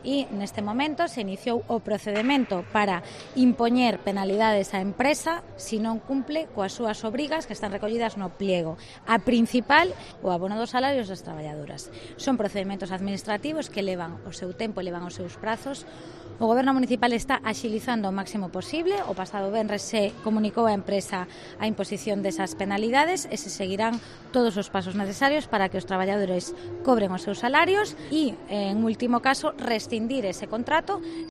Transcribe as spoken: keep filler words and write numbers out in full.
e neste momento se iniciou o procedemento para impoñer penalidades á empresa se non cumple coas súas obrigas que están recollidas no pliego. A principal, o abono dos salarios das traballadoras. Son procedimentos administrativos que levan o seu tempo e levan os seus prazos. O Goberno municipal está axilizando o máximo posible. O pasado venres se comunicou á empresa a imposición desas penalidades e se seguirán todos os pasos necesarios para que os traballadores cobren os seus salarios e, en último caso, rescindir ese contrato